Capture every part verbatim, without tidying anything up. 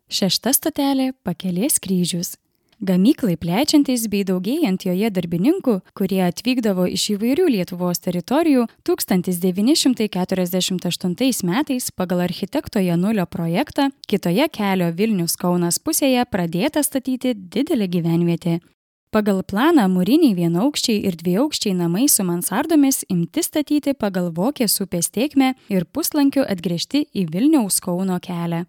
Šešta stotelė – Pakelės kryžius. Gamyklai plečiantis bei daugėjant joje darbininkų, kurie atvykdavo iš įvairių Lietuvos teritorijų, tūkstantis devyni šimtai keturiasdešimt aštuntais metais pagal architekto Janulio projektą kitoje kelio Vilnius-Kaunas pusėje pradėta statyti didelė gyvenvietė. Pagal planą mūriniai vienaukščiai ir dviaukščiai namai su mansardomis imti statyti pagal Vokės upės tėkmę ir puslankiu atgręžti į Vilniaus-Kauno kelią.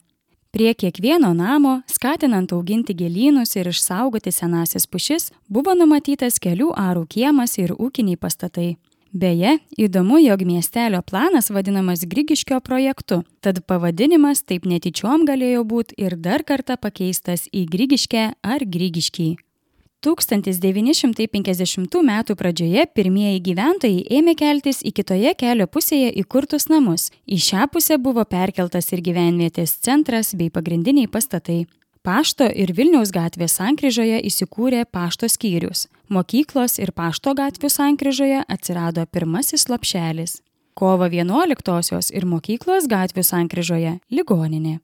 Prie kiekvieno namo, skatinant auginti gėlynus ir išsaugoti senąsias pušis, buvo numatytas kelių arų kiemas ir ūkiniai pastatai. Beje, įdomu, jog miestelio planas vadinamas Grigiškio projektu, tad pavadinimas taip netyčiom galėjo būti ir dar kartą pakeistas į Grigiškę ar Grigiškį. tūkstantis devyni šimtai penkiasdešimtų metų pradžioje pirmieji gyventojai ėmė keltis į kitoje kelio pusėje įkurtus namus. Į šią pusę buvo perkeltas ir gyvenvietės centras bei pagrindiniai pastatai. Pašto ir Vilniaus gatvės sankryžoje įsikūrė pašto skyrius. Mokyklos ir pašto gatvių sankryžoje atsirado pirmasis lopšelis. Kovo vienuoliktosios ir mokyklos gatvių sankryžoje ligoninė.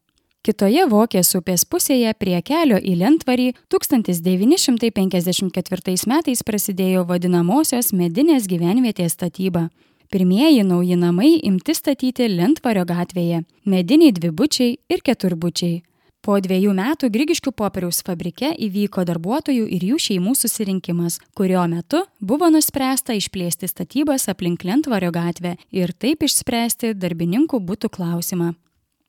Kitoje Vokės upės pusėje prie kelio į Lentvarį tūkstantis devyni šimtai penkiasdešimt ketvirtais metais prasidėjo vadinamosios medinės gyvenvietės statyba. Pirmieji nauji namai imti statyti Lentvario gatvėje – mediniai dvibučiai ir keturbučiai. Po dviejų metų Grigiškių popieriaus fabrike įvyko darbuotojų ir jų šeimų susirinkimas, kurio metu buvo nuspręsta išplėsti statybas aplink Lentvario gatvę ir taip išspręsti darbininkų butų klausimą.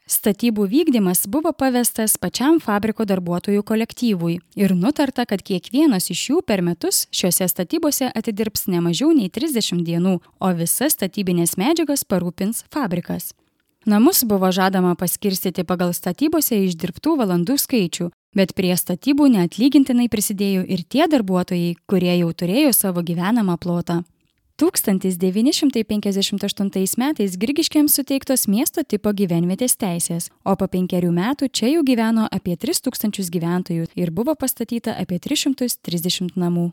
Statybų vykdymas buvo pavestas pačiam fabriko darbuotojų kolektyvui ir nutarta, kad kiekvienas iš jų per metus šiuose statybose atidirbs ne mažiau nei trisdešimt dienų, o visas statybinės medžiagas parūpins fabrikas. Namus buvo žadama paskirstyti pagal statybose išdirbtų valandų skaičių, bet prie statybų neatlygintinai prisidėjo ir tie darbuotojai, kurie jau turėjo savo gyvenamą plotą. tūkstantis devyni šimtai penkiasdešimt aštuntais metais Grigiškėms suteiktos miesto tipo gyvenvietės teisės, o po penkerių metų čia jau gyveno apie tris tūkstančius gyventojų ir buvo pastatyta apie tris šimtus trisdešimt namų.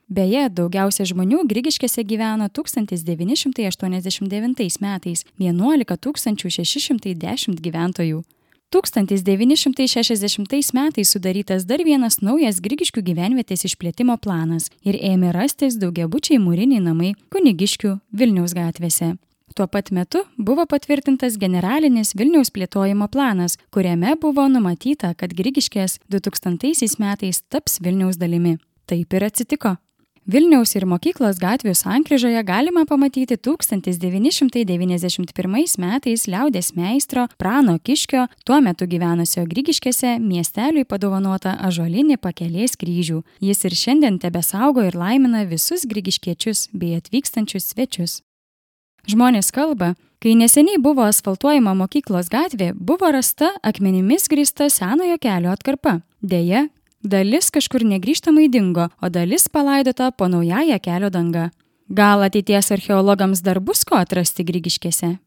Beje, daugiausia žmonių Grigiškėse gyveno tūkstantis devyni šimtai aštuoniasdešimt devintais metais – vienuolika tūkstančių šeši šimtai dešimt gyventojų. tūkstantis devyni šimtai šešiasdešimtais metais sudarytas dar vienas naujas Grigiškių gyvenvietės išplėtimo planas ir ėmė rastis daugiabučiai mūriniai namai Kunigiškių Vilniaus gatvėse. Tuo pat metu buvo patvirtintas generalinis Vilniaus plėtojimo planas, kuriame buvo numatyta, kad Grigiškės du tūkstantaisiais metais taps Vilniaus dalimi. Taip ir atsitiko. Vilniaus ir mokyklos gatvių sankryžoje galima pamatyti tūkstantis devyni šimtai devyniasdešimt pirmais metais liaudies meistro Prano Kiškio, tuo metu gyvenusio Grigiškėse, miesteliui padovanotą ąžuolinį Pakelės kryžių. Jis ir šiandien tebesaugo ir laimina visus grigiškiečius bei atvykstančius svečius. Žmonės kalba, kai neseniai buvo asfaltuojama mokyklos gatvė, buvo rasta akmenimis grįsta senojo kelio atkarpa. Deja, dalis kažkur negrįžtamai dingo, o dalis palaidota po naująją kelio danga. Gal ateities archeologams dar bus ko atrasti Grigiškėse?